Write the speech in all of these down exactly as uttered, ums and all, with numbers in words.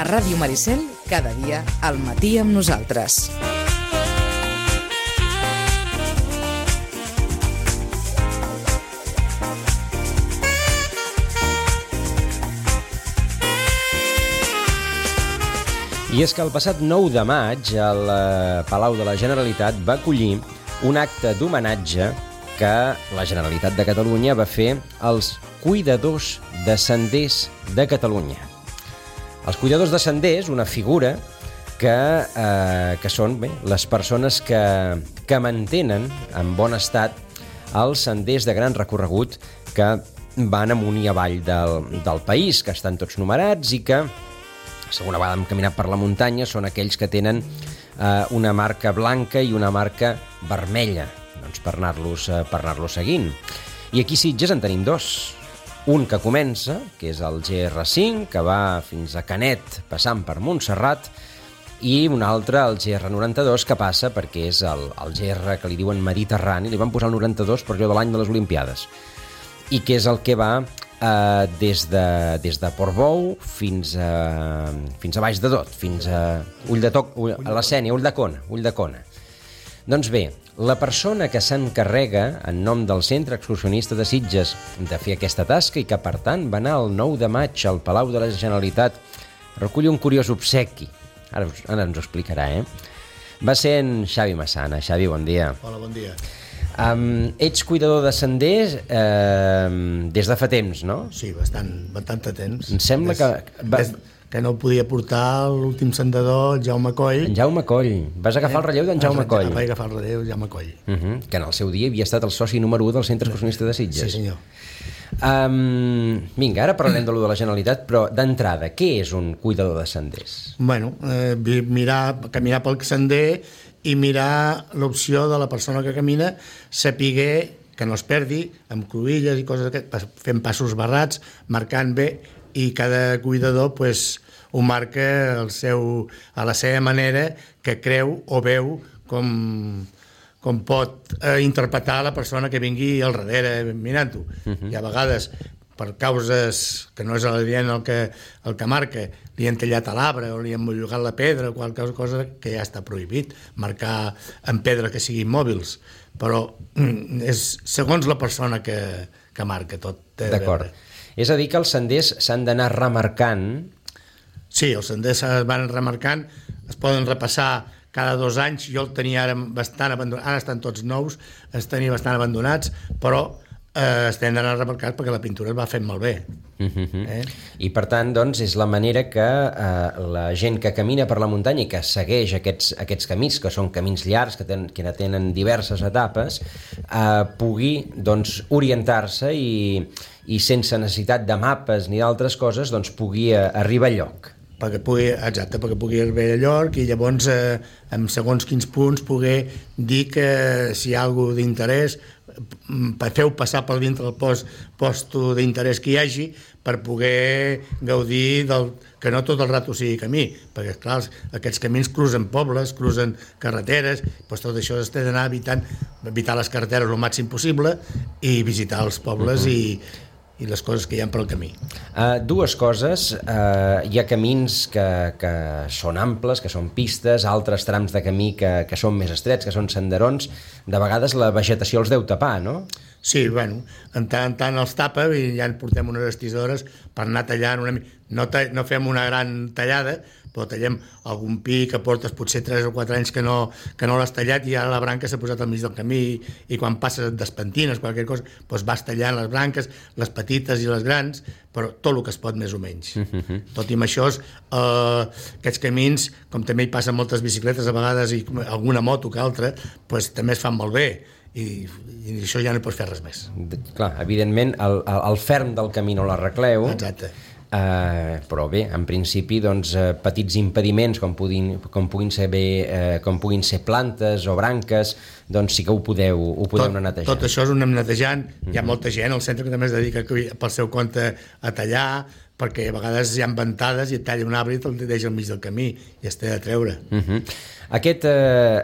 A Ràdio Maricel, cada dia, al matí amb nosaltres. I és que el passat nou de maig el Palau de la Generalitat va acollir un acte d'homenatge que la Generalitat de Catalunya va fer als cuidadors de senders de Catalunya. Els cuidadors de senders, una figura que, eh, que són bé, les persones que, que mantenen en bon estat els senders de gran recorregut que van amunt i avall del, del país, que estan tots numerats i que, segona vegada hem caminat per la muntanya, són aquells que tenen eh, una marca blanca i una marca vermella, doncs per anar-los eh, per anar-los seguint. I aquí a Sitges en tenim dos. Un que comença, que és el G R cinc, que va fins a Canet, passant per Montserrat, i un altre, el G R noranta-dos, que passa perquè és el, el G R que li diuen Mediterrani, li van posar el noranta-dos per allò de l'any de les Olimpiades, i que és el que va Uh, des de, des de Portbou fins a, fins a Baix de Dot, fins a Ull de Toc, Ull, a la Sénia, Ulldecona, Ulldecona. Doncs bé, la persona que s'encarrega en nom del Centre Excursionista de Sitges de fer aquesta tasca i que, per tant, va anar el nou de maig al Palau de la Generalitat a recollir un curiós obsequi. Ara, ara ens ho explicarà, eh? Va ser en Xavi Massana. Xavi, bon dia. Hola, bon dia. Um, ets cuidador de senders eh, des de fa temps, no? Sí, bastant, bastant de temps. Em sembla des, que... Va... Des, que no podia portar l'últim sendador, el Jaume Coll. En Jaume Coll. Vas agafar eh? el relleu d'en Jaume Coll. Vaig agafar el relleu d'en Jaume Coll. Uh -huh. Que en el seu dia havia estat el soci número u del Centre Excursionista de Sitges. Sí, senyor. Um, vinga, ara parlarem de lo de la Generalitat, però d'entrada, què és un cuidador de senders? Bueno, eh, mirar, caminar pel sender i mirar l'opció de la persona que camina, sapiguer que no es perdi, amb cruïlles i coses d'aquestes, fent passos barrats, marcant bé, i cada cuidador pues, ho marca el seu, a la seva manera, que creu o veu com, com pot eh, interpretar la persona que vingui al darrere mirant-ho. Uh-huh. I a vegades, per causes que no és l'adient el que, el que marca, li han tallat a l'arbre o li han mollugat la pedra o qualsevol cosa que ja està prohibit, marcar en pedra que siguin mòbils, però és segons la persona que, que marca tot. D'acord. És a dir que els senders s'han d'anar remarcant. Sí, els senders es van remarcant, es poden repassar cada dos anys. Jo el tenia ara bastant abandonat, ara estan tots nous, els tenia bastant abandonats, però eh, estem d'anar remarcats perquè la pintura es va fent malbé. Uh-huh. eh? I per tant, doncs, és la manera que eh, la gent que camina per la muntanya i que segueix aquests, aquests camins, que són camins llargs, que, ten, que tenen diverses etapes, eh, pugui doncs, orientar-se i, i sense necessitat de mapes ni d'altres coses, doncs, pugui arribar a lloc. Perquè pugui, exacte, perquè pugui arribar a lloc i llavors, eh, en segons quins punts, poder dir que si hi ha alguna cosa d'interès, feu passar per dintre del post, posto d'interès que hi hagi per poder gaudir del, que no tot el rato sigui camí, perquè clar, aquests camins cruzen pobles, cruzen carreteres, doncs tot això s'ha d'anar evitant, evitar les carreteres el màxim possible i visitar els pobles uh-huh. i i les coses que hi ha pel camí. Uh, dues coses, uh, hi ha camins que, que són amples, que són pistes, altres trams de camí que, que són més estrets, que són senderons, de vegades la vegetació els deu tapar, no? Sí, bueno, en tant en tant els tapa i ja en portem unes estisores per anar tallant una mica. No, ta no fem una gran tallada, però tallem algun pi que portes potser tres o quatre anys que no, que no l'has tallat i ara la branca s'ha posat al mig del camí i quan passes et despentines, qualsevol cosa, doncs vas tallant les branques, les petites i les grans, però tot el que es pot més o menys. Uh-huh. Tot i amb això, eh, aquests camins, com també hi passen moltes bicicletes a vegades i alguna moto que altra, doncs també es fan molt bé. I, i això ja no pots fer res més. Clar, evidentment el, el, el ferm del camí no l'arregleu. Exacte. Uh, però bé, en principi doncs, uh, petits impediments com puguin, com, puguin ser bé, uh, com puguin ser plantes o branques, doncs sí que ho podeu, ho podeu tot, anar netejant. Tot això és un anem netejant. Mm-hmm. Hi ha molta gent al centre que també es dedica pel seu compte a tallar, perquè a vegades hi ha ventades i et talla un arbre i te'l deixa al mig del camí i es té de treure. Uh -huh. Aquest, eh,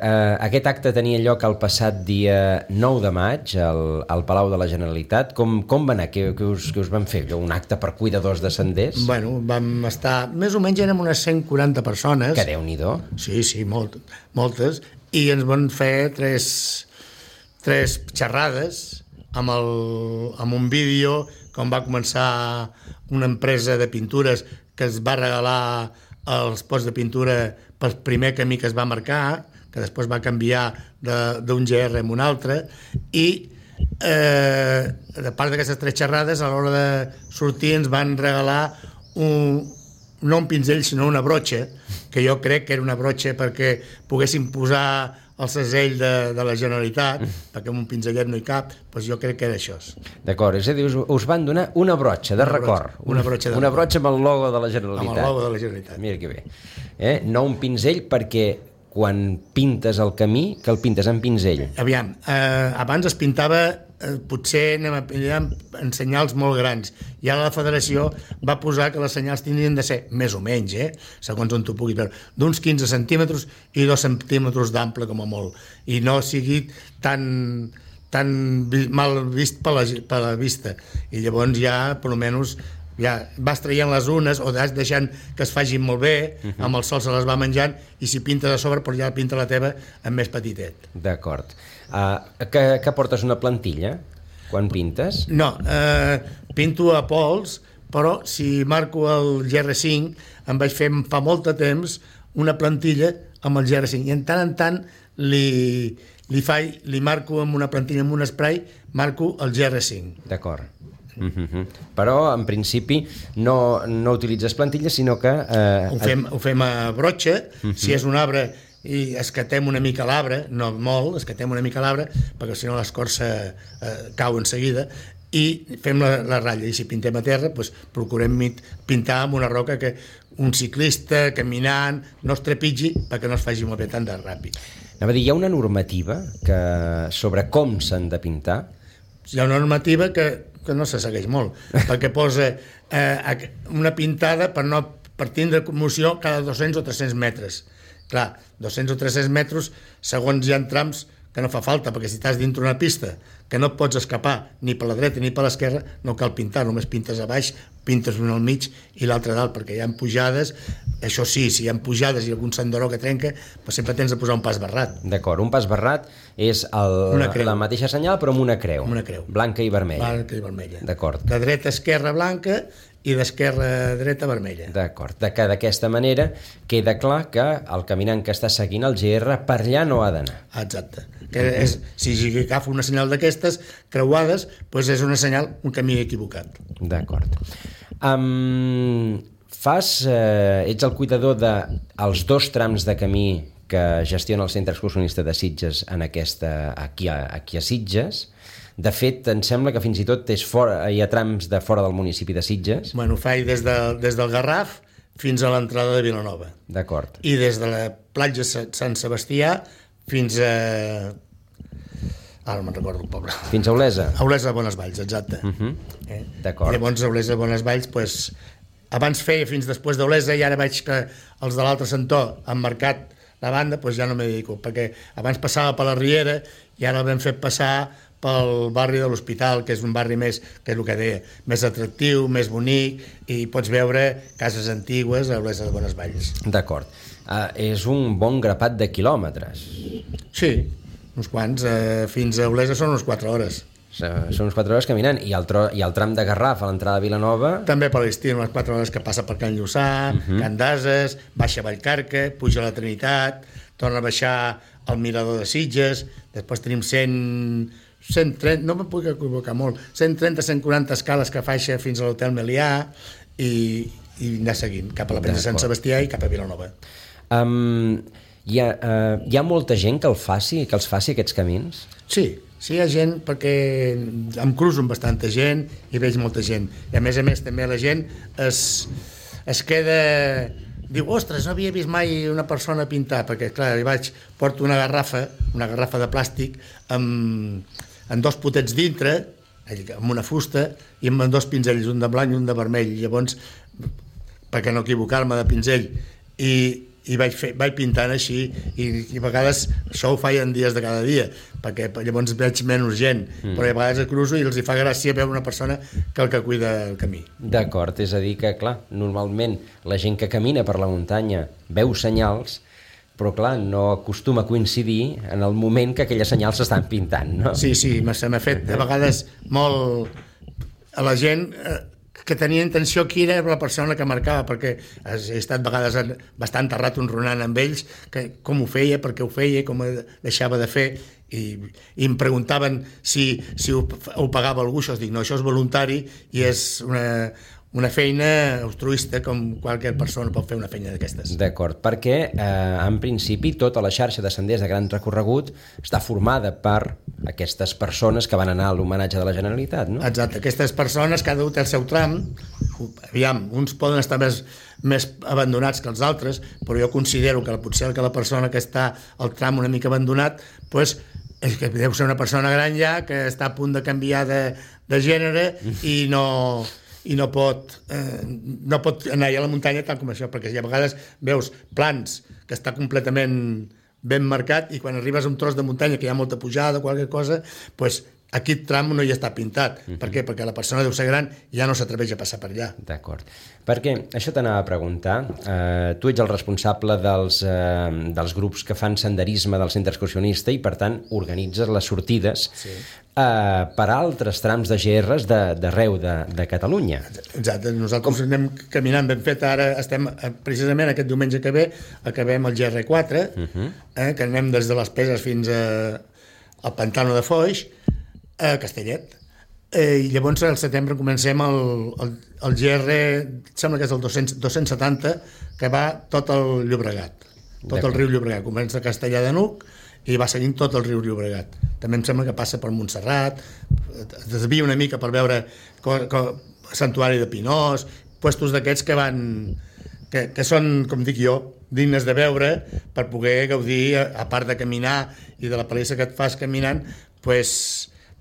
eh, aquest acte tenia lloc el passat dia nou de maig al, al Palau de la Generalitat. Com, com va anar? Què, què, us, què us van fer? Un acte per cuidadors de senders? Bueno, vam estar... Més o menys érem unes cent quaranta persones. Que Déu-n'hi-do. Sí, sí, molt, moltes. I ens van fer tres, tres xerrades amb, el, amb un vídeo com va començar una empresa de pintures que es va regalar els pots de pintura pel primer camí que es va marcar, que després va canviar d'un G R a un altre, i eh, a part d'aquestes tres xerrades, a l'hora de sortir ens van regalar un, no un pinzell, sinó una brotxa, que jo crec que era una brotxa perquè poguessin posar el segell de, de la Generalitat, perquè amb un pinzellet no hi cap, doncs jo crec que era això. D'acord, és a dir, us, us van donar una brotxa de una record. Brotxa, una brotxa de Una record. brotxa amb el logo de la Generalitat. Amb el logo de la Generalitat. Mira que bé. Eh? No un pinzell, perquè quan pintes el camí, que el pintes amb pinzell. Aviam, eh, abans es pintava, eh, potser anem a pillar en senyals molt grans, i ara la federació va posar que les senyals tindrien de ser, més o menys, eh, segons on tu puguis veure, d'uns quinze centímetres i dos centímetres d'ample com a molt, i no sigui tan, tan mal vist per la, per la vista, i llavors ja, per almenys, ja vas traient les unes o vas deixant que es facin molt bé, uh -huh. amb el sol se les va menjant, i si pintes a sobre, doncs ja pinta la teva amb més petitet. D'acord. Uh, que, que portes una plantilla quan pintes? No, eh, pinto a pols, però si marco el G R cinc em vaig fer fa molt de temps una plantilla amb el G R cinc, i en tant en tant li, li, faig, li marco amb una plantilla, amb un spray, marco el G R cinc. D'acord. Uh-huh. Però en principi no, no utilitzes plantilles, sinó que eh, ho, fem, ho fem a brotxa. Uh-huh. Si és un arbre i escatem una mica l'arbre, no molt, escatem una mica l'arbre, perquè si no l'escorça eh, cau en seguida, i fem la, la ratlla, i si pintem a terra doncs procurem pintar amb una roca que un ciclista caminant no es trepitgi perquè no es faci molt bé tant de ràpid. Anava a dir, hi ha una normativa que, sobre com s'han de pintar? Hi ha una normativa que que no se segueix molt, perquè posa eh, una pintada per, no, per tindre commoció cada dos-cents o tres-cents metres. Clar, dos-cents o tres-cents metres, segons hi ha trams que no fa falta, perquè si estàs dintre una pista que no et pots escapar ni per la dreta ni per l'esquerra, no cal pintar, només pintes a baix, pintes un al mig i l'altre dalt, perquè hi ha pujades. Això sí, si hi ha pujades i algun senderó que trenca, doncs sempre tens de posar un pas barrat. D'acord, un pas barrat és el, la mateixa senyal però amb una creu. Amb una creu. Blanca i vermella. Blanca i vermella. D'acord. De dreta a esquerra blanca i d'esquerra a dreta vermella. D'acord, de que d'aquesta manera queda clar que el caminant que està seguint el G R per allà no ha d'anar. Exacte. Que és, si agafa una senyal d'aquestes creuades, doncs és una senyal, un camí equivocat. D'acord. Um, fas, eh, ets el cuidador dels dos trams de camí que gestiona el Centre Excursionista de Sitges en aquesta, aquí, a, aquí a Sitges. De fet, em sembla que fins i tot és fora, hi ha trams de fora del municipi de Sitges. Bueno, ho faig des, de, des del Garraf fins a l'entrada de Vilanova. D'acord. I des de la platja Sant Sebastià fins a... Ara no me'n recordo el poble. Fins a Olesa. A Olesa de Bonesvalls, exacte. Uh -huh. eh? D'acord. Llavors a Olesa de Bonesvalls, pues, abans feia fins després d'Olesa i ara veig que els de l'altre sector han marcat la banda, pues ja no m'hi dedico, perquè abans passava per la Riera i ara l'hem fet passar pel barri de l'Hospital, que és un barri més, que és el que deia, més atractiu, més bonic, i pots veure cases antigues a Olesa de Bonesvalls. D'acord. Uh, és un bon grapat de quilòmetres. Sí, uns quants. Uh, fins a Olesa són unes quatre hores. Són unes quatre hores caminant. I el, tro, i el tram de Garraf a l'entrada de Vilanova... També per l'estiu, unes quatre hores que passa per Can Lluçà, uh -huh. Can d'Ases, baixa a Vallcarca, puja a la Trinitat, torna a baixar al Mirador de Sitges, després tenim cent... cent trenta, no me'n puc equivocar molt, cent trenta a cent quaranta escales que faixa fins a l'Hotel Melià i, i anar seguint cap a la Presa de Sant Sebastià i cap a Vilanova. Um, hi, ha, uh, hi ha molta gent que el faci, que els faci aquests camins? Sí, sí hi ha gent, perquè em cruzo amb bastanta gent i veig molta gent. I a més a més també la gent es, es queda... Diu, ostres, no havia vist mai una persona pintar, perquè clar, hi vaig, porto una garrafa, una garrafa de plàstic amb, amb dos potets dintre, amb una fusta i amb dos pinzells, un de blanc i un de vermell. Llavors perquè no equivocar-me de pinzell, i, i vaig, fer, vaig pintant així, i, i a vegades això ho faig en dies de cada dia, perquè llavors veig menys gent, mm. però a vegades cruzo i els hi fa gràcia veure una persona que el que cuida el camí. D'acord, és a dir que, clar, normalment la gent que camina per la muntanya veu senyals, però clar, no acostuma a coincidir en el moment que aquelles senyals s'estan pintant, no? Sí, sí, se m'ha fet a vegades molt a la gent eh, que tenia intenció qui era la persona que marcava, perquè he estat a vegades bastant terrat ronronant amb ells, que com ho feia, per què ho feia, com ho deixava de fer, i, i em preguntaven si, si ho, ho pagava algú, això, dic, no, això és voluntari i és una... una feina altruista com qualsevol persona pot fer una feina d'aquestes. D'acord, perquè eh, en principi tota la xarxa de senders de gran recorregut està formada per aquestes persones que van anar a l'homenatge de la Generalitat, no? Exacte, aquestes persones, cada un té el seu tram, aviam, uns poden estar més, més abandonats que els altres, però jo considero que potser que la persona que està al tram una mica abandonat, doncs, és que deu ser una persona gran ja, que està a punt de canviar de, de gènere i no... i no pot, eh, no pot anar a la muntanya tant com això, perquè si a vegades veus plans que està completament ben marcat i quan arribes a un tros de muntanya que hi ha molta pujada o qualque cosa, doncs aquest tram no hi està pintat. Uh-huh. Per què? Perquè la persona deu ser gran i ja no s'atreveix a passar per allà. D'acord. Perquè això t'anava a preguntar. Eh, tu ets el responsable dels, eh, dels grups que fan senderisme del centre excursionista i, per tant, organitzes les sortides sí. eh, per a altres trams de G Rs d'arreu de, de Catalunya. Exacte. Nosaltres Com... anem caminant ben fet. Ara estem, precisament aquest diumenge que ve, acabem el G R quatre, uh-huh. eh, que anem des de les Peses fins a, al Pantano de Foix, a Castellet. Eh, I llavors al setembre comencem el, el, el G R, sembla que és el dos-cents setanta, que va tot el Llobregat, tot el riu Llobregat. Comença a Castellar de Nuc i va seguint tot el riu Llobregat. També em sembla que passa per Montserrat, es desvia una mica per veure co, co, Santuari de Pinós, puestos d'aquests que van... Que, que són, com dic jo, dignes de veure per poder gaudir, a, a part de caminar i de la palissa que et fas caminant, pues,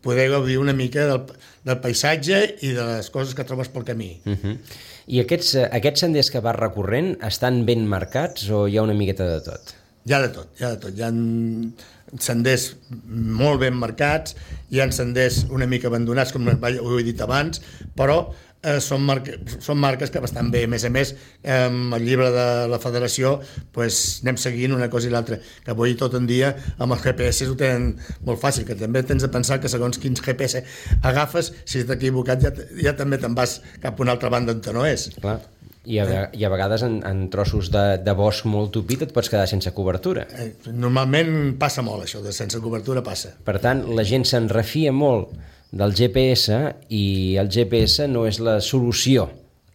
poder gaudir una mica del, del paisatge i de les coses que trobes pel camí. Uh-huh. I aquests, aquests senders que vas recorrent estan ben marcats o hi ha una miqueta de tot? Hi ha de tot, hi ha de tot. Hi ha senders molt ben marcats, hi ha senders una mica abandonats, com ho he dit abans, però eh, són, marca, són marques que bastant bé. A més a més, eh, el llibre de la federació pues, anem seguint una cosa i l'altra, que avui tot en dia amb els G P S ho tenen molt fàcil, que també tens de pensar que segons quins G P S agafes, si t'has equivocat ja, ja també te'n vas cap a una altra banda on no és. Clar. I a, i a vegades en, en trossos de, de bosc molt tupit et pots quedar sense cobertura. Eh, normalment passa molt això, de sense cobertura passa. Per tant, la gent se'n refia molt del G P S i el G P S no és la solució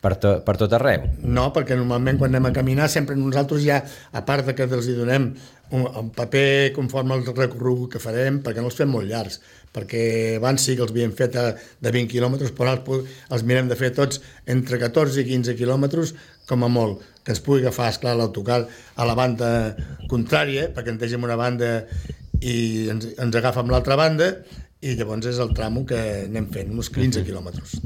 per, to, per tot arreu. No, perquè normalment quan anem a caminar sempre nosaltres ja, a part de que els hi donem un, un paper conforme al recorregut que farem, perquè no els fem molt llargs, perquè abans sí que els havíem fet a, de vint quilòmetres, però els, els mirem de fer tots entre catorze i quinze quilòmetres, com a molt, que ens pugui agafar, esclar, l'autocar a la banda contrària, perquè ens deixem una banda i ens, ens agafa amb l'altra banda, i llavors és el tramo que anem fent, uns quinze quilòmetres.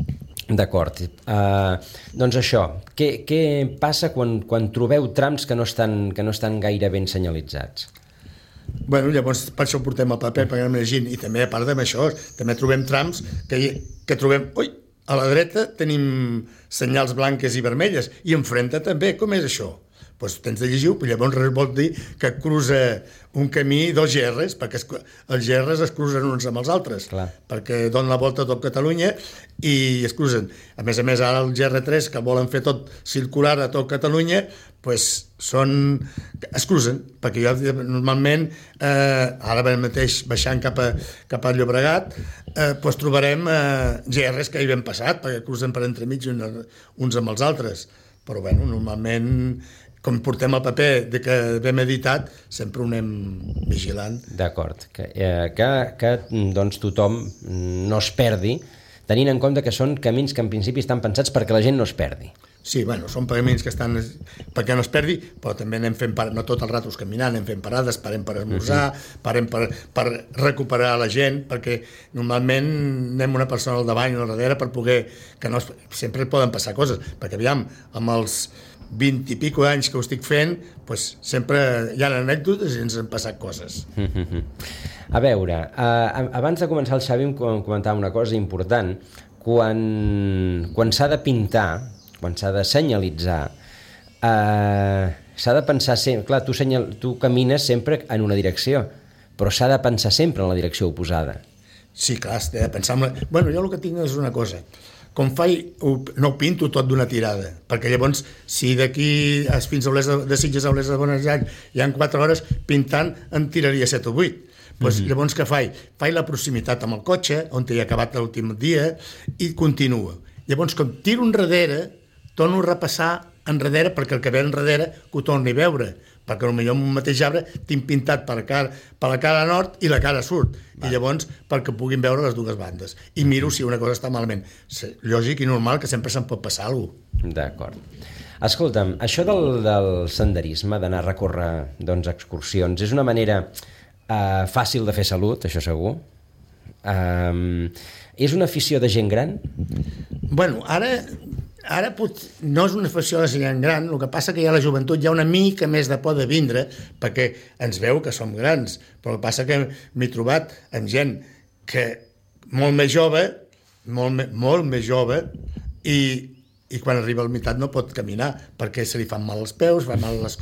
D'acord. Uh, doncs això, què, què passa quan, quan trobeu trams que no estan, que no estan gaire ben senyalitzats? Bueno, llavors per això portem el paper, perquè anem llegint, i també a part d'això, també trobem trams que, que trobem... Ui, a la dreta tenim senyals blanques i vermelles, i enfrenta també, com és això? Doncs tens de llegir-ho, llavors vol dir que cruza un camí dos G Rs, perquè es, els G Rs es cruzen uns amb els altres. Clar. Perquè donen la volta a tot Catalunya i es cruzen. A més a més, ara el G R tres, que volen fer tot circular a tot Catalunya, doncs són... es cruzen, perquè jo normalment, eh, ara mateix baixant cap a, cap a Llobregat, eh, doncs trobarem eh, G Rs que hi ben passat, perquè cruzen per entremig uns amb els altres. Però, bueno, normalment... com portem el paper de que vam editat, sempre ho anem vigilant. D'acord, que, eh, que, que doncs, tothom no es perdi, tenint en compte que són camins que en principi estan pensats perquè la gent no es perdi. Sí, bueno, són pagaments que estan perquè no es perdi, però també anem fent parades, no tot el rato caminant, anem fent parades, parem per esmorzar, uh-huh. parem per, per recuperar la gent, perquè normalment anem una persona al davant i al darrere per poder, que no es, sempre poden passar coses, perquè aviam, amb els vint i pico anys que ho estic fent, pues, sempre hi ha anècdotes i ens han passat coses. Uh-huh. A veure, uh, abans de començar el Xavi em comentava una cosa important, quan, quan s'ha de pintar, quan s'ha de senyalitzar, eh, s'ha de pensar sempre... Clar, tu, senyal, tu camines sempre en una direcció, però s'ha de pensar sempre en la direcció oposada. Sí, clar, has de pensar... En la... Bueno, jo el que tinc és una cosa. Com faig, no ho pinto tot d'una tirada, perquè llavors, si d'aquí fins a Olesa de Sitges a Olesa de Bonesvalls hi ha quatre hores pintant, en tiraria set o vuit. Pues, mm-hmm. Llavors què faig? Faig la proximitat amb el cotxe, on he acabat l'últim dia, i continuo. Llavors, com tiro enrere, torno a repassar enrere perquè el que ve enrere que ho torni a veure, perquè potser en un mateix arbre tinc pintat per, cara, per la cara nord i la cara sud, Va. I llavors perquè puguin veure les dues bandes. I miro si una cosa està malament. Lògic i normal que sempre se'n pot passar alguna cosa. D'acord. Escolta'm, això del, del senderisme, d'anar a recórrer doncs, excursions, és una manera eh, fàcil de fer salut, això segur. Um, és una afició de gent gran? Bueno, ara... Ara pot, no és una afició de gent gran, el que passa que ja la joventut hi ha una mica més de por de vindre perquè ens veu que som grans, però el que passa que m'he trobat amb gent que molt més jove, molt, molt més jove, i, i quan arriba a la meitat no pot caminar perquè se li fan mal els peus, fan mal les,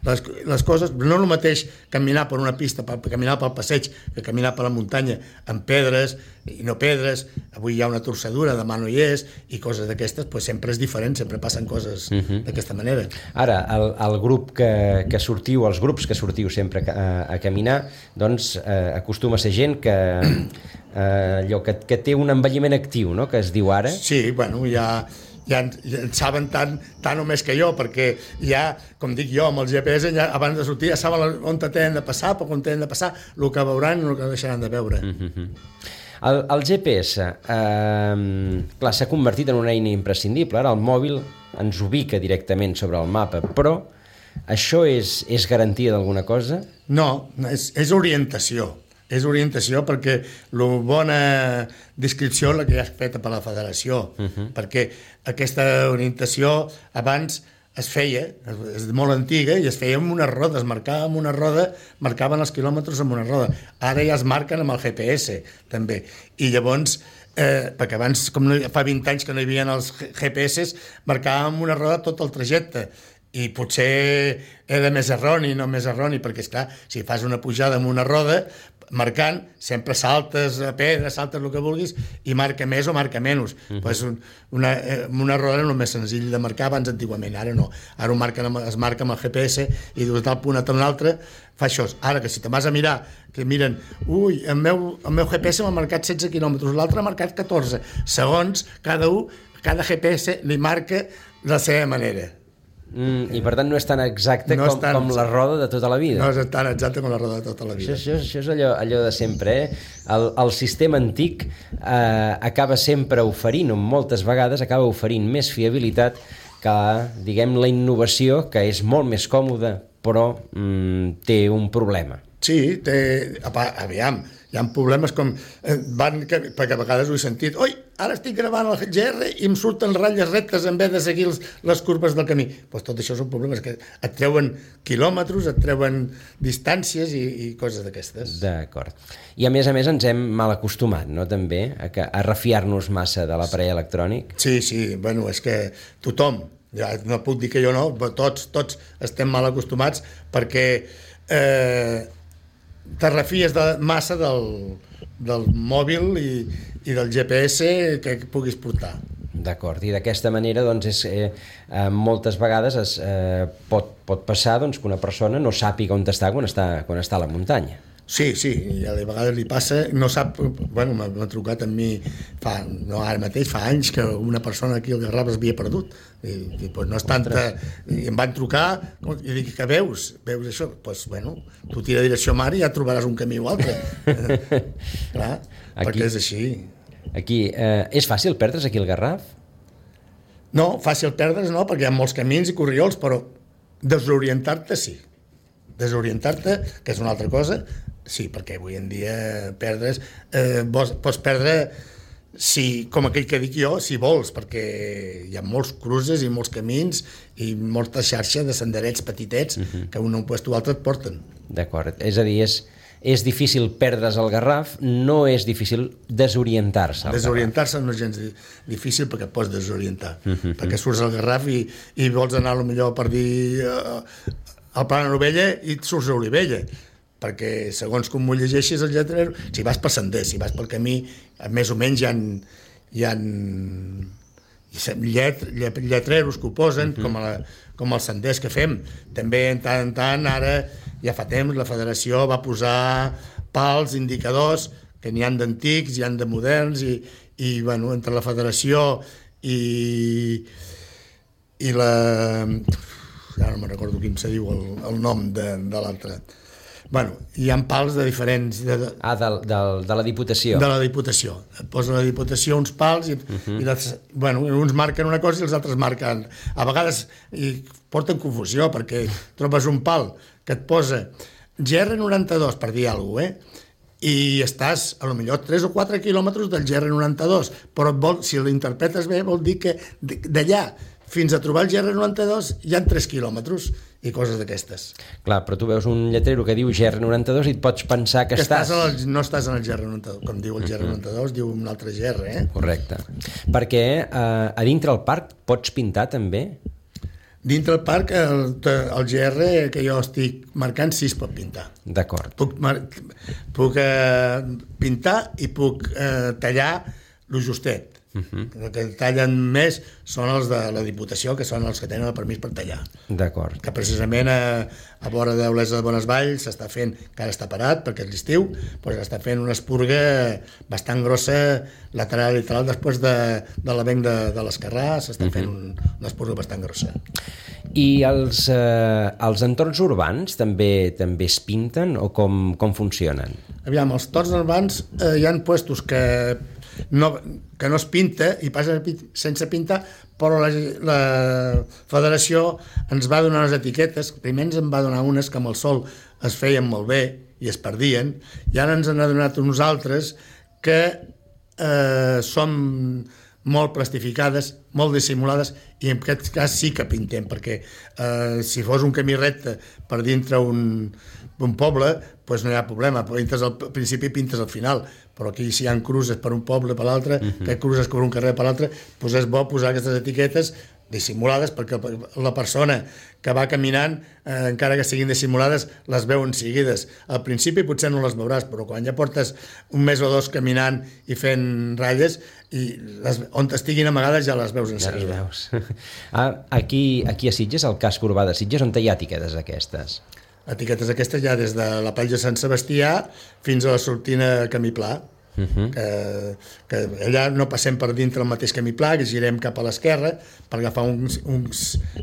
les, les coses. No el mateix caminar per una pista, per, caminar pel passeig, que caminar per la muntanya amb pedres i no pedres. Avui hi ha una torçadura, demà no hi és, i coses d'aquestes, pues sempre és diferent, sempre passen coses uh-huh. d'aquesta manera. Ara, el, el grup que, que sortiu, els grups que sortiu sempre a, a caminar, doncs eh, acostuma a ser gent que, eh, allò, que, que té un envelliment actiu, no?, que es diu ara. Sí, bueno, hi ha... ja en, ja en saben tant, tant o més que jo, perquè ja, com dic jo, amb el G P S, ja, abans de sortir ja saben on tenen de passar, per on tenen de passar, el que veuran i el que deixaran de veure. Mm-hmm. El, el G P S, eh, clar, s'ha convertit en una eina imprescindible. Ara el mòbil ens ubica directament sobre el mapa, però això és, és garantia d'alguna cosa? No, és, és orientació. És orientació perquè la bona descripció és la que ja és feta per la federació, uh-huh. perquè aquesta orientació abans es feia, és molt antiga, i es feia amb una roda, es marcava amb una roda, marcaven els quilòmetres amb una roda. Ara ja es marquen amb el G P S, també. I llavors, eh, perquè abans, com no, fa vint anys que no hi havia els G P S, marcàvem amb una roda tot el trajecte, i potser era més erroni, no més erroni, perquè, esclar, si fas una pujada amb una roda, marcant, sempre saltes a pedra, saltes el que vulguis, i marca més o marca menys. Uh-huh. Pues una, una roda era el més senzill de marcar abans antigament, ara no. Ara ho marquen, es marca amb el G P S i de tal punt a tal altre fa això. Ara que si te vas a mirar, que miren, ui, el meu, el meu G P S m'ha marcat setze quilòmetres, l'altre ha marcat catorze. Segons, cada un, cada G P S li marca de la seva manera. Mm, I per tant no és tan exacte no com, tan, com la roda de tota la vida. No és tan exacte com la roda de tota la vida. Això, això, això és allò, allò de sempre, eh? El, el sistema antic eh, acaba sempre oferint, o moltes vegades acaba oferint més fiabilitat que, diguem, la innovació, que és molt més còmoda, però mm, té un problema. Sí, té, aviam, hi ha problemes com van, perquè a vegades ho he sentit, oi, ara estic gravant el G R i em surten ratlles rectes en vez de seguir les, les curves del camí. Pues tot això són problemes que et treuen quilòmetres, et treuen distàncies i, i coses d'aquestes. D'acord. I a més a més ens hem mal acostumat, no?, també, a, que, a refiar-nos massa de l'aparell electrònic. Sí, sí, bueno, és que tothom, ja no puc dir que jo no, però tots, tots estem mal acostumats perquè eh, te refies de, massa del, del mòbil i, i del G P S que puguis portar. D'acord, i d'aquesta manera doncs, és, eh, eh, moltes vegades es, eh, pot, pot passar doncs, que una persona no sàpiga on està quan està, quan està a la muntanya. Sí, sí, i a vegades li passa, no sap, bueno, m'ha trucat amb mi, fa, no ara mateix, fa anys que una persona aquí al Garraf es havia perdut, i, i pues no és tanta, i em van trucar, i dic, que veus? Veus això? Doncs, pues, bueno, tu tira direcció mar i ja trobaràs un camí o altre. Clar, aquí, perquè és així. Aquí, eh, és fàcil perdre's aquí al Garraf? No, fàcil perdre's no, perquè hi ha molts camins i corriols, però desorientar-te sí. Desorientar-te, que és una altra cosa, sí, perquè avui en dia perdre's, eh, vols, pots perdre, si, com aquell que dic jo, si vols, perquè hi ha molts cruces i molts camins i molta xarxa de senderets petitets uh-huh. que un a un puesto o altre et porten. D'acord, és a dir, és, és difícil perdre's al Garraf, no és difícil desorientar-se. Desorientar-se no és gens difícil perquè et pots desorientar, uh-huh. perquè surts al Garraf i, i vols anar millor per dir uh, al Pla de Novella i et surts a Olivella, perquè segons com ho llegeixis el lletrer, si vas per sender, si vas pel camí, més o menys hi ha, hi ha llet, lletreros que ho posen, uh-huh. com, a, com els senders que fem. També, en tant en tant, ara, ja fa temps, la federació va posar pals, indicadors, que n'hi ha d'antics, hi ha de moderns, i, i bueno, entre la federació i, i la... ara no me'n recordo quin se diu el, el nom de, de l'altre. Bueno, hi ha pals de diferents... De, de, ah, de, de, de la Diputació. De la Diputació. Et posa la Diputació uns pals i, uh-huh. i les, bueno, uns marquen una cosa i els altres marquen... A vegades i porten confusió perquè trobes un pal que et posa G R noranta-dos, per dir alguna cosa, eh? I estàs, a lo millor, tres o quatre quilòmetres del G R noranta-dos, però vol, si l'interpretes bé vol dir que d'allà fins a trobar el G R noranta-dos hi ha tres quilòmetres i coses d'aquestes. Clar, però tu veus un lletrero que diu G R noranta-dos i et pots pensar que, que estàs... estàs el, no estàs en el G R noranta-dos, com diu el G R noranta-dos, diu un altre G R, eh? Correcte. Perquè eh, a dintre el parc pots pintar també? Dintre el parc, el, el G R que jo estic marcant sí es pot pintar. D'acord. Puc, puc eh, pintar i puc eh, tallar lo justet. Uh-huh. El que tallen més són els de la Diputació, que són els que tenen el permís per tallar. D'acord. Que precisament a, a vora d'Olesa de Bonesvalls s'està fent, que ara està parat perquè és l'estiu, doncs està fent una espurga bastant grossa lateral i lateral després de, de l'avenc de, de l'Esquerrà, s'està uh-huh. fent un, una espurga bastant grossa. I els, eh, els entorns urbans també també es pinten o com, com funcionen? Aviam, els entorns urbans eh, hi ha puestos que No, que no es pinta i passa sense pintar, però la, la federació ens va donar unes etiquetes. Primer ens en va donar unes que amb el sol es feien molt bé i es perdien, i ara ens en ha donat uns altres que eh, són molt plastificades, molt dissimulades, i en aquest cas sí que pintem, perquè eh, si fos un camí recte per dintre un, un poble, doncs no hi ha problema, pintes al principi i pintes al final, però aquí si hi ha cruces per un poble per l'altre, uh-huh. que cruces per un carrer per l'altre, doncs és bo posar aquestes etiquetes dissimulades, perquè la persona que va caminant, eh, encara que siguin dissimulades, les veuen seguides. Al principi potser no les veuràs, però quan ja portes un mes o dos caminant i fent ratlles, i les, on estiguin amagades ja les veus en seguida. Ja les veus. Ah, aquí, aquí a Sitges, al casc urbà de Sitges, on hi ha etiquetes aquestes? Etiquetes aquestes ja des de la platja de Sant Sebastià fins a la sortina Camí Pla. Uh-huh. que, que allà no passem per dintre el mateix camí pla, que girem cap a l'esquerra per agafar un, un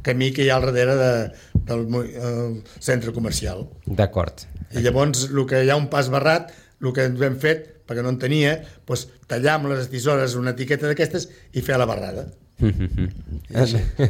camí que hi ha al darrere de, del el centre comercial. D'acord. I llavors el que hi ha un pas barrat, el que ens hem fet, perquè no en tenia, doncs, tallar amb les tisores una etiqueta d'aquestes i fer la barrada.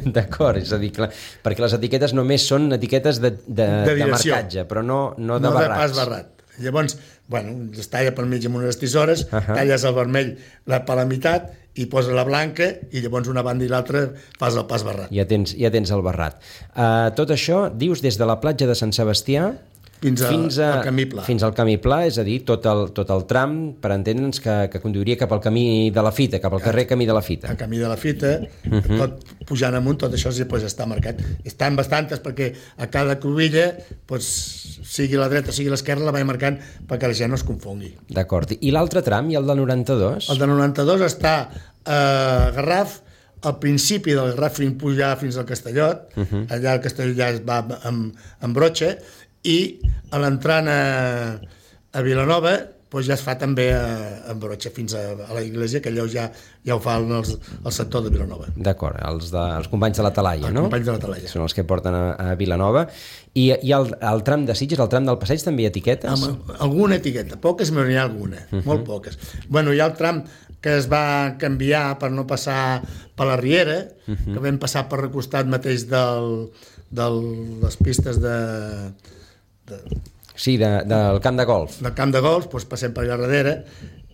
D'acord, és a dir, clar, perquè les etiquetes només són etiquetes de, de, de, de marcatge, però no, no de no barrats. No de pas barrat. Llavors, bueno, es talla pel mig amb unes tisores, uh-huh. talles el vermell la, per la meitat i posa la blanca i llavors una banda i l'altra fas el pas barrat. Ja tens, ja tens el barrat. Uh, tot això, dius, des de la platja de Sant Sebastià fins, a, fins a, al Camí Pla. Fins al Camí Pla, és a dir, tot el, tot el tram, per entendre'ns, que, que conduiria cap al camí de la Fita, cap al carrer Camí de la Fita. El Camí de la Fita, uh-huh. tot pujant amunt, tot això sí, pues, està marcat. Estan bastantes perquè a cada cruïlla, pues, sigui la dreta, sigui l'esquerra, la vaig marcant perquè la gent no es confongui. D'acord. I l'altre tram, i el del noranta-dos? El del noranta-dos està a Garraf, al principi del Garraf fins pujar fins al Castellot, uh-huh. allà el Castellot ja es va amb, amb brotxa, i a l'entrant a, a Vilanova doncs ja es fa també a, a brotxa fins a, a la iglesia, que allò ja, ja ho fa el, el sector de Vilanova. D'acord, els, de, els companys de la Talaia, els no? Els companys de la Talaia. Són els que porten a, a Vilanova. I, i el, el tram de Sitges, el tram del passeig, també hi ha etiquetes? Amb alguna etiqueta, poques, però n'hi ha alguna, uh-huh. molt poques. Bueno, hi ha el tram que es va canviar per no passar per la Riera, uh -huh. que vam passar per el costat mateix del, de les pistes de, de, sí, de, del camp de golf. Del camp de golf, doncs passem per allà darrere,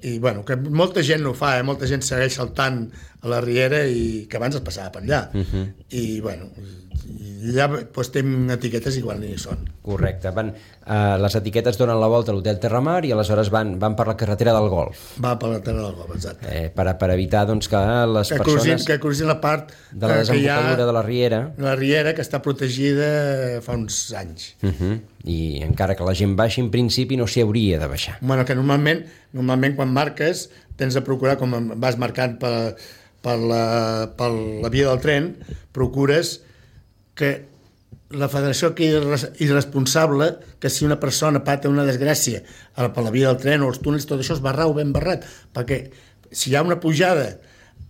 i bueno, que molta gent no ho fa, eh? Molta gent segueix saltant a la Riera i que abans es passava per allà. Uh -huh. I bueno, i allà doncs, tenim etiquetes igual ni hi són. Correcte. Van, uh, les etiquetes donen la volta a l'hotel Terramar i aleshores van, van per la carretera del Golf. Va per la terra del Golf, exacte. Eh, per, per evitar doncs, que les que persones... Crusin, que crusin la part de la desembocadura de la Riera. La Riera, que està protegida fa uns anys. Uh -huh. I encara que la gent baixi, en principi no s'hi hauria de baixar. Bueno, que normalment, normalment quan marques tens de procurar, com vas marcant per, per, la, per la via del tren, procures que la federació quedi irresponsable, que si una persona pata una desgràcia per la via del tren o els túnels, tot això es barrau ben barrat, perquè si hi ha una pujada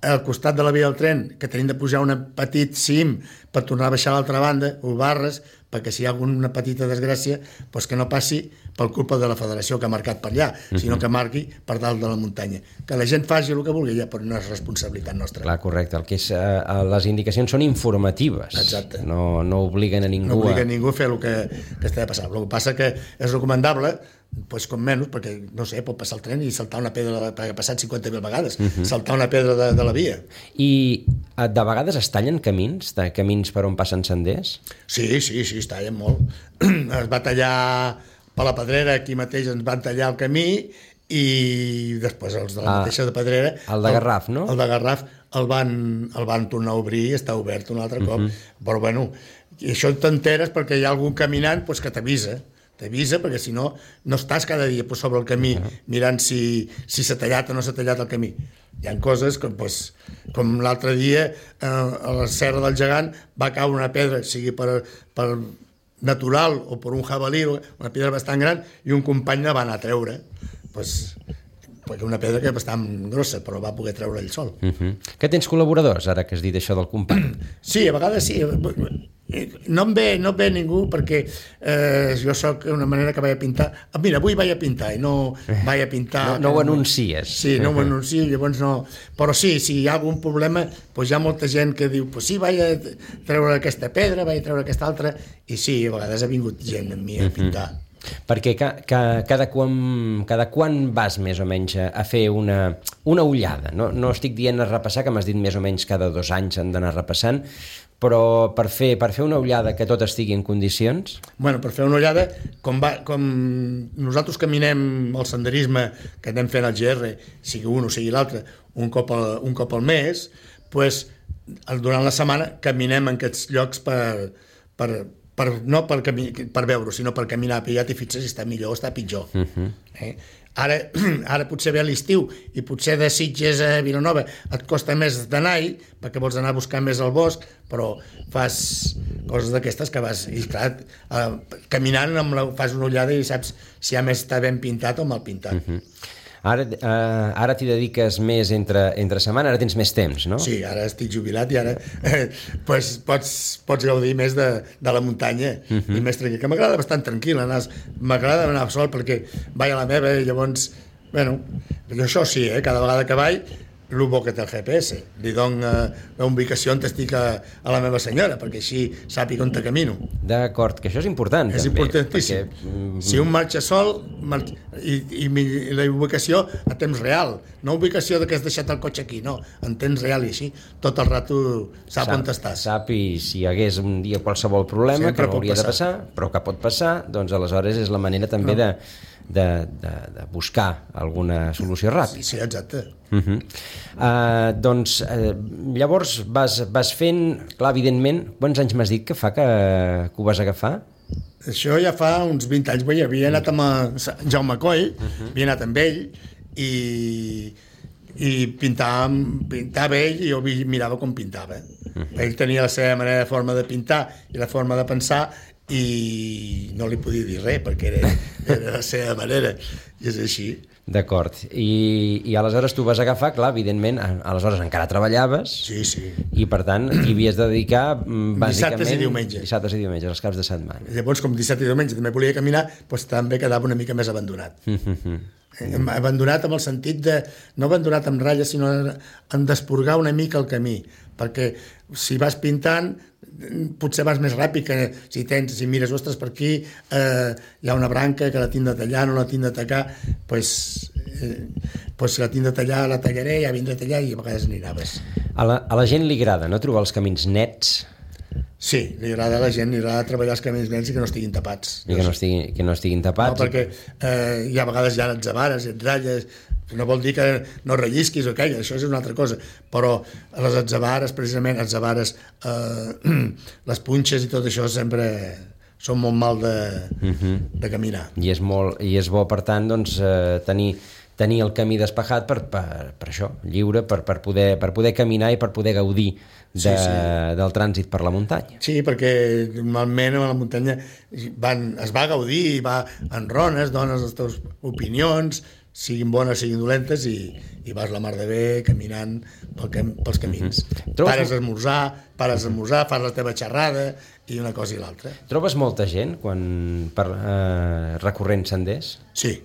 al costat de la via del tren, que tenim de pujar un petit cim per tornar a baixar a l'altra banda, ho barres, perquè si hi ha alguna petita desgràcia, doncs que no passi per culpa de la federació que ha marcat per allà, uh-huh. sinó que marqui per dalt de la muntanya. Que la gent faci el que vulgui, ja, però no és responsabilitat nostra. Clar, correcte. El que és, eh, les indicacions són informatives. Exacte. No, no obliguen a ningú no obliguen a... a ningú a fer el que, que està de passar. El que passa que és recomandable, doncs com menys, perquè, no sé, pot passar el tren i saltar una pedra, perquè ha passat cinquanta mil vegades, uh-huh. saltar una pedra de, de la via. I de vegades es tallen camins, de camins per on passen senders? Sí, sí, sí, es tallen molt. Es va tallar per la Pedrera, aquí mateix ens van tallar el camí, i després els de la ah, mateixa de Pedrera... El de Garraf, no? El de Garraf el van, el van tornar a obrir, està obert un altre cop, uh-huh. però bueno, i això t'enteres perquè hi ha algun caminant pues, que t'avisa, t'avisa perquè si no, no estàs cada dia pues, sobre el camí uh-huh. mirant si, si s'ha tallat o no s'ha tallat el camí. Hi ha coses com, pues, com l'altre dia eh, a la Serra del Gegant va caure una pedra, sigui per, per natural o per un jabalí, una pedra bastant gran, i un company la va anar a treure. Pues, perquè una pedra que és bastant grossa, però va poder treure ell sol. Uh-huh. Que tens col·laboradors, ara que has dit això del company? Sí, a vegades sí. No em ve, no em ve ningú perquè eh, jo sóc una manera que vaig a pintar. Ah, mira, avui vaig a pintar i no vaig a pintar... No, no ho anuncies. Sí, no ho anuncio, llavors no... Però sí, si hi ha algun problema, doncs hi ha molta gent que diu pues sí, vaig a treure aquesta pedra, vaig a treure aquesta altra, i sí, a vegades ha vingut gent amb mi a pintar. Uh-huh. Perquè ca, ca, cada, quan, cada quan vas més o menys a, a fer una, una ullada? No, no estic dient a repassar, que m'has dit més o menys cada dos anys han d'anar repassant, però per fer, per fer una ullada que tot estigui en condicions? Bueno, per fer una ullada, com, va, com nosaltres caminem el senderisme que anem fent al G R, sigui un o sigui l'altre, un, cop al, un cop al mes, pues, durant la setmana caminem en aquests llocs per... per Per, no per, cami- per veure, sinó per caminar, perquè ja t'hi fixes si està millor o està pitjor. Uh-huh. eh? ara, ara potser ve l'estiu i potser de Sitges a Vilanova et costa més d'anar-hi perquè vols anar a buscar més al bosc, però fas coses d'aquestes que vas, i clar, eh, caminant amb la, fas una ullada i saps si a més està ben pintat o mal pintat. Uh-huh. Ara, uh, ara t'hi dediques més entre, entre setmana, ara tens més temps, no? Sí, ara estic jubilat i ara eh, pues, pots, pots gaudir més de, de la muntanya uh-huh. i més tranquil, que m'agrada bastant tranquil, m'agrada anar sol perquè vaig a la meva i llavors, bueno, jo això sí, eh, cada vegada que vaig, el bo que té el G P S, li dono la ubicació on estic a, a la meva senyora, perquè així sàpiga on te camino. D'acord, que això és important. És també, importantíssim. Perquè... Si un marxa sol marxa, i, i, i la ubicació a temps real, no ubicació de que has deixat el cotxe aquí, no, en temps real i així, tot el rato sap, sap on estàs. Sap, i si hi hagués un dia qualsevol problema, sempre que no hauria passar. de passar, però que pot passar, doncs aleshores és la manera també no. de, de, de, de buscar alguna solució ràpida. Sí, sí, exacte. Uh-huh. Uh, doncs uh, llavors vas, vas fent, clar, evidentment, quants anys m'has dit que fa que, que ho vas agafar? Això ja fa uns vint anys, bé, havia anat amb Jaume Coll, uh-huh. havia anat amb ell i, i pintava, pintava ell i jo mirava com pintava. Uh-huh. Ell tenia la seva manera de forma de pintar i la forma de pensar i no li podia dir res perquè era, era la seva manera i és així. D'acord, I, i aleshores tu vas agafar, clar, evidentment, aleshores encara treballaves, sí, sí. i per tant t'hi havies de dedicar bàsicament... Dissabtes i diumenges. Dissabtes i diumenges, els caps de setmana. Llavors, com dissabte i diumenge també volia caminar, doncs també quedava una mica més abandonat. Mm. Abandonat amb el sentit de... No abandonat amb ratlles, sinó en desporgar una mica el camí, perquè si vas pintant potser vas més ràpid que si tens, si mires, ostres, per aquí eh, hi ha una branca que la tinc de tallar, no la tinc de tacar, pues, eh, pues si la tinc de tallar la tallaré, ja vindré a tallar i a vegades n'hi anaves. A la, a la gent li agrada, no?, trobar els camins nets. Sí, li agrada a la gent, li agrada treballar els camins nets i que no estiguin tapats. I que no estiguin, que no estiguin tapats. No, perquè eh, hi ha vegades ja et zavares, et ratlles, no vol dir que no rellisquis o caigues, això és una altra cosa, però les atzabares, precisament, atzabares, eh, les punxes i tot això sempre són molt mal de, uh-huh. de caminar. I és, molt, i és bo, per tant, doncs, eh, tenir, tenir el camí despejat per, per, per això, lliure, per, per, poder, per poder caminar i per poder gaudir de, sí, sí. del trànsit per la muntanya. Sí, perquè normalment a la muntanya van, es va gaudir, va en rones, dones les teves opinions, siguin bones, siguin dolentes, i, i vas la mar de bé caminant pel cam, pels camins. Mm-hmm. Trobes... Pares a esmorzar, pares a esmorzar, fas la teva xerrada i una cosa i l'altra. Trobes molta gent quan per, eh, recorrent senders? Sí,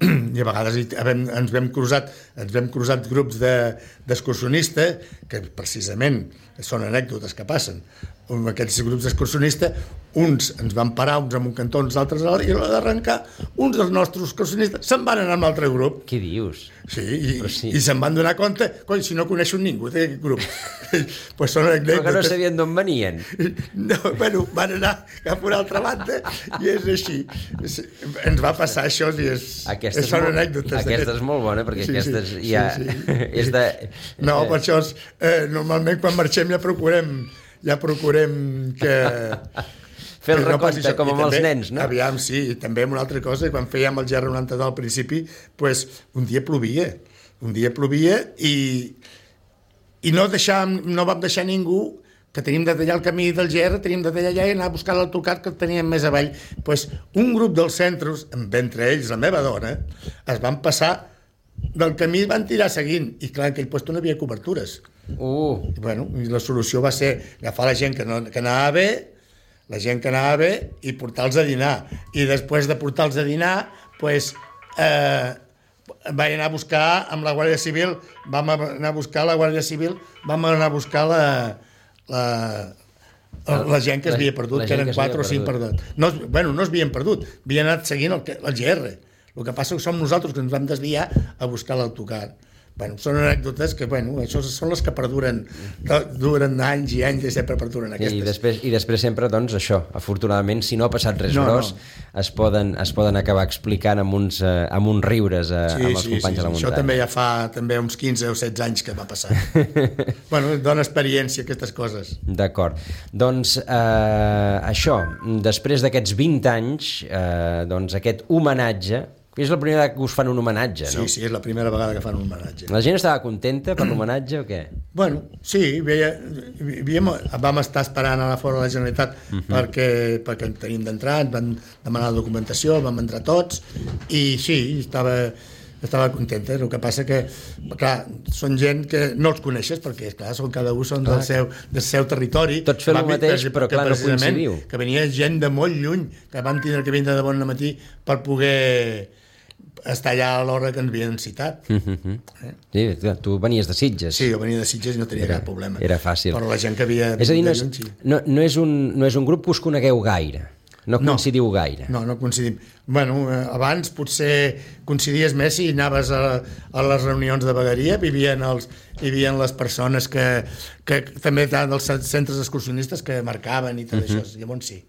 i a vegades ens vam cruzat, ens vam cruzat grups d'excursionistes, de, que precisament són anècdotes que passen. Aquests grups d'excursionistes, uns ens van parar, uns en un cantó, uns altres a l'altre, i a l'hora d'arrencar, uns dels nostres excursionistes se'n van anar amb l'altre grup. Què dius? Sí, i, sí. i se'n van donar compte, coi, si no coneixo ningú d'aquest grup. Pues són anècdotes. Però que no sabien d'on venien. No, bueno, van anar cap a una altra banda, i és així. Ens va passar això, i és, aquesta és són molt, anècdotes. Aquesta és molt bona, perquè sí, aquesta és, sí, ja, sí, sí. és de... No, per això, és, eh, normalment quan marxem ja procurem, ja procurem que... Fer el recompte, com amb els nens, no? Aviam, sí, i també una altra cosa, quan fèiem el G R noranta-dos al principi, pues, un dia plovia, un dia plovia i, i no, deixàvem, no vam deixar ningú, que tenim de tallar el camí del G R, tenim de tallar allà i anar a buscar l'autocar que teníem més avall. Pues, un grup dels centres, entre ells la meva dona, es van passar del camí, van tirar seguint, i clar, en aquell lloc no hi havia cobertures. Uh. I, bueno, i la solució va ser agafar la gent que, no, que anava bé, la gent que anava bé, i portar-los a dinar. I després de portar-los a dinar, pues, eh, vaig anar a buscar amb la Guàrdia Civil, vam anar a buscar la Guàrdia Civil, vam anar a buscar la, la, la, la gent que es havia perdut, que eren quatre o cinc perdut. No, bueno, no es havien perdut, havien anat seguint el, el G R. El que passa que som nosaltres que ens vam desviar a buscar l'autocar. Bueno, són anècdotes que, bueno, això són les que perduren, duren anys i anys i sempre perduren aquestes. I després, i després sempre, doncs, això, afortunadament, si no ha passat res no, gros, no. Es, poden, es poden acabar explicant amb uns, eh, amb uns riures eh, sí, amb els sí, companys sí, de la muntanya. Això també ja fa també uns quinze o setze anys que va passar. Bueno, dona experiència aquestes coses. D'acord. Doncs eh, això, després d'aquests vint anys, eh, doncs aquest homenatge, és la primera vegada que us fan un homenatge, no? Sí, sí, és la primera vegada que fan un homenatge. La gent estava contenta per l'homenatge o què? Bueno, sí, veia, veiem, vam estar esperant a la fora de la Generalitat uh -huh. perquè, perquè tenim d'entrar, ens van demanar la documentació, vam entrar tots, i sí, estava, estava contenta. El que passa que, clar, són gent que no els coneixes, perquè, clar, són, cada un són del seu, del seu territori. Tots fem el mateix, però clar, no coincidiu. Que venia gent de molt lluny, que van tindre que vindre de bon matí per poder estar allà a l'hora que ens havien citat. Uh-huh. eh? Sí, tu venies de Sitges. Sí, jo venia de Sitges i no tenia era, cap problema. Era fàcil. Però la gent que havia... És a dir, no és, no, no, és un, no és un grup que us conegueu gaire, no coincidiu no, gaire. No, no coincidim. Bueno, abans potser coincidies més si anaves a, a les reunions de vegueria, vivien, els, vivien les persones que, que també eren dels centres excursionistes que marcaven i tot uh-huh. això, llavors sí.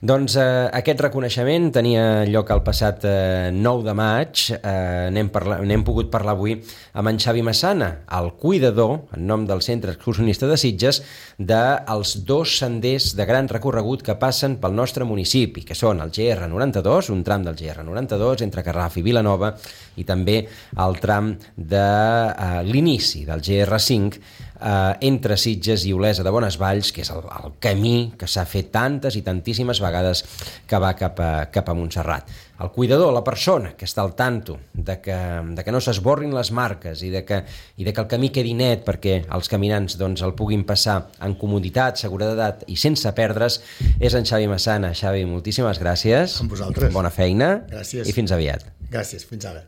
Doncs eh, aquest reconeixement tenia lloc el passat eh, nou de maig. Eh, n'hem, parla, n'hem pogut parlar avui amb en Xavi Massana, el cuidador, en nom del Centre Excursionista de Sitges, dels dos senders de gran recorregut que passen pel nostre municipi, que són el G R noranta-dos, un tram del G R noranta-dos entre Garraf i Vilanova, i també el tram de eh, l'inici del G R cinc, Uh, entre Sitges i Olesa de Bonesvalls, que és el, el camí que s'ha fet tantes i tantíssimes vegades que va cap a, cap a Montserrat. El cuidador, la persona que està al tanto de que, de que no s'esborrin les marques i de, que, i de que el camí quedi net perquè els caminants doncs, el puguin passar en comoditat, seguretat i sense perdre's, és en Xavi Massana. Xavi, moltíssimes gràcies. Amb vosaltres. Bona feina. Gràcies. I fins aviat. Gràcies, fins ara.